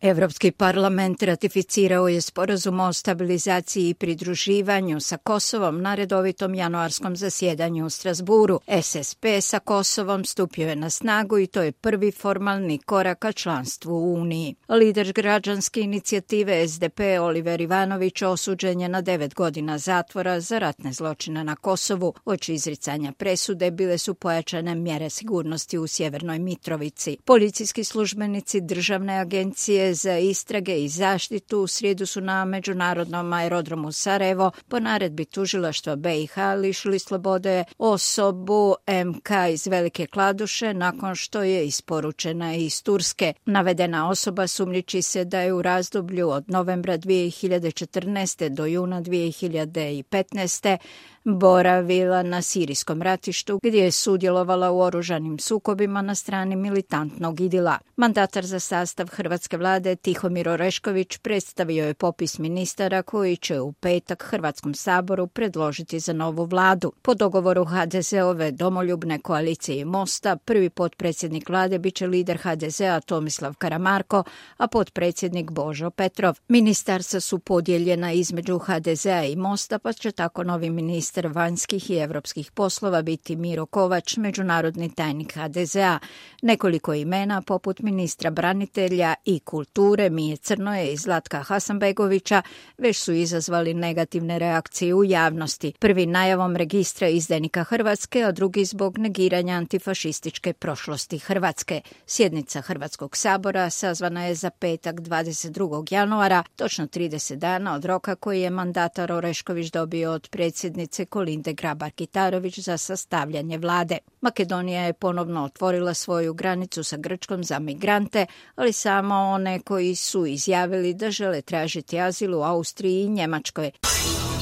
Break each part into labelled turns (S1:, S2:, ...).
S1: Evropski parlament ratificirao je sporazum o stabilizaciji i pridruživanju sa Kosovom na redovitom januarskom zasjedanju u Strasburu. SSP sa Kosovom stupio je na snagu i to je prvi formalni korak ka članstvu u Uniji. Lider građanske inicijative SDP Oliver Ivanović osuđen je na 9 godina zatvora za ratne zločine na Kosovu. Uoči izricanja presude bile su pojačane mjere sigurnosti u Sjevernoj Mitrovici. Policijski službenici Državne agencije za istrage i zaštitu u srijedu su na međunarodnom aerodromu Sarajevo po naredbi tužilaštva BiH lišili slobode osobu MK iz Velike Kladuše nakon što je isporučena iz Turske. Navedena osoba sumnjiči se da je u razdoblju od novembra 2014. do juna 2015. boravila na sirijskom ratištu gdje je sudjelovala u oružanim sukobima na strani militantnog IDIL-a. Mandatar za sastav hrvatske vlade Tihomir Orešković predstavio je popis ministara koji će u petak Hrvatskom saboru predložiti za novu vladu. Po dogovoru HDZ-ove domoljubne koalicije i Mosta, prvi potpredsjednik vlade biće lider HDZ-a Tomislav Karamarko, a potpredsjednik Božo Petrov. Ministarstva su podijeljena između HDZ-a i Mosta, pa će tako novi ministar vanjskih i europskih poslova biti Miro Kovač, međunarodni tajnik HDZ-a. Nekoliko imena poput ministra branitelja i kulture Mije Crnoje i Zlatka Hasanbegovića već su izazvali negativne reakcije u javnosti. Prvi najavom registra izdajnika Hrvatske, a drugi zbog negiranja antifašističke prošlosti Hrvatske. Sjednica Hrvatskog sabora sazvana je za petak 22. januara, točno 30 dana od roka koji je mandatar Orešković dobio od predsjednice Kolinde Grabar-Kitarović za sastavljanje vlade. Makedonija je ponovno otvorila svoju granicu sa Grčkom za migrante, ali samo one koji su izjavili da žele tražiti azil u Austriji i Njemačkoj.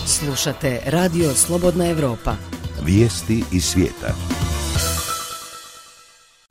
S2: Slušate Radio Slobodna Evropa.
S3: Vijesti iz svijeta.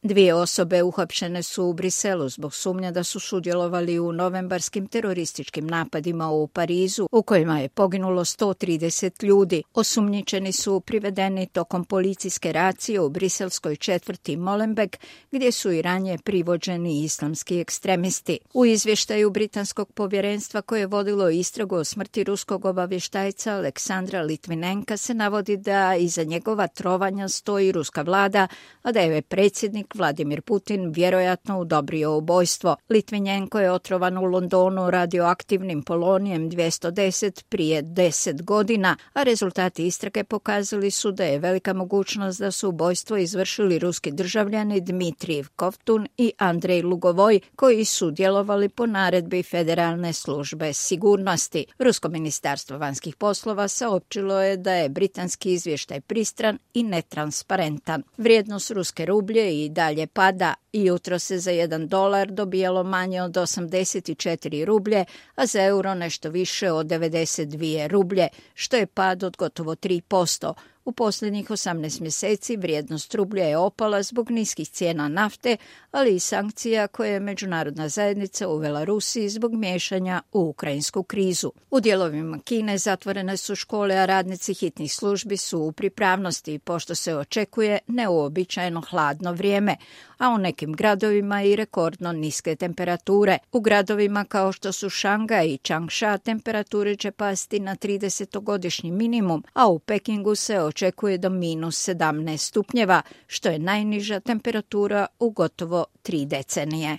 S1: 2 osobe uhapšene su u Briselu zbog sumnja da su sudjelovali u novembarskim terorističkim napadima u Parizu, u kojima je poginulo 130 ljudi. Osumnjičeni su privedeni tokom policijske racije u briselskoj četvrti Molenbeek, gdje su i ranije privođeni islamski ekstremisti. U izvještaju britanskog povjerenstva koje je vodilo istragu o smrti ruskog obavještajca Aleksandra Litvinenka se navodi da iza njegova trovanja stoji ruska vlada, a da je predsjednik Vladimir Putin vjerojatno udobrio ubojstvo. Litvinenko je otrovan u Londonu radioaktivnim polonijem 210 prije 10 godina, a rezultati istrage pokazali su da je velika mogućnost da su ubojstvo izvršili ruski državljani Dmitrijev Kovtun i Andrej Lugovoj, koji su djelovali po naredbi Federalne službe sigurnosti. Rusko ministarstvo vanjskih poslova saopćilo je da je britanski izvještaj pristran i netransparentan. Vrijednost ruske rublje i dalje pada i jutro se za $1 dobijalo manje od 84 rublje, a za euro nešto više od 92 rublje, što je pad od gotovo 3%. U posljednjih 18 mjeseci vrijednost rublja je opala zbog niskih cijena nafte, ali i sankcija koje je međunarodna zajednica uvela Rusiji zbog miješanja u ukrajinsku krizu. U dijelovima Kine zatvorene su škole, a radnici hitnih službi su u pripravnosti, pošto se očekuje neuobičajeno hladno vrijeme, a u nekim gradovima i rekordno niske temperature. U gradovima kao što su Šangaj i Čangša temperature će pasti na 30-godišnji minimum, a u Pekingu se očekuje do -17 stupnjeva, što je najniža temperatura u gotovo 3 decenije.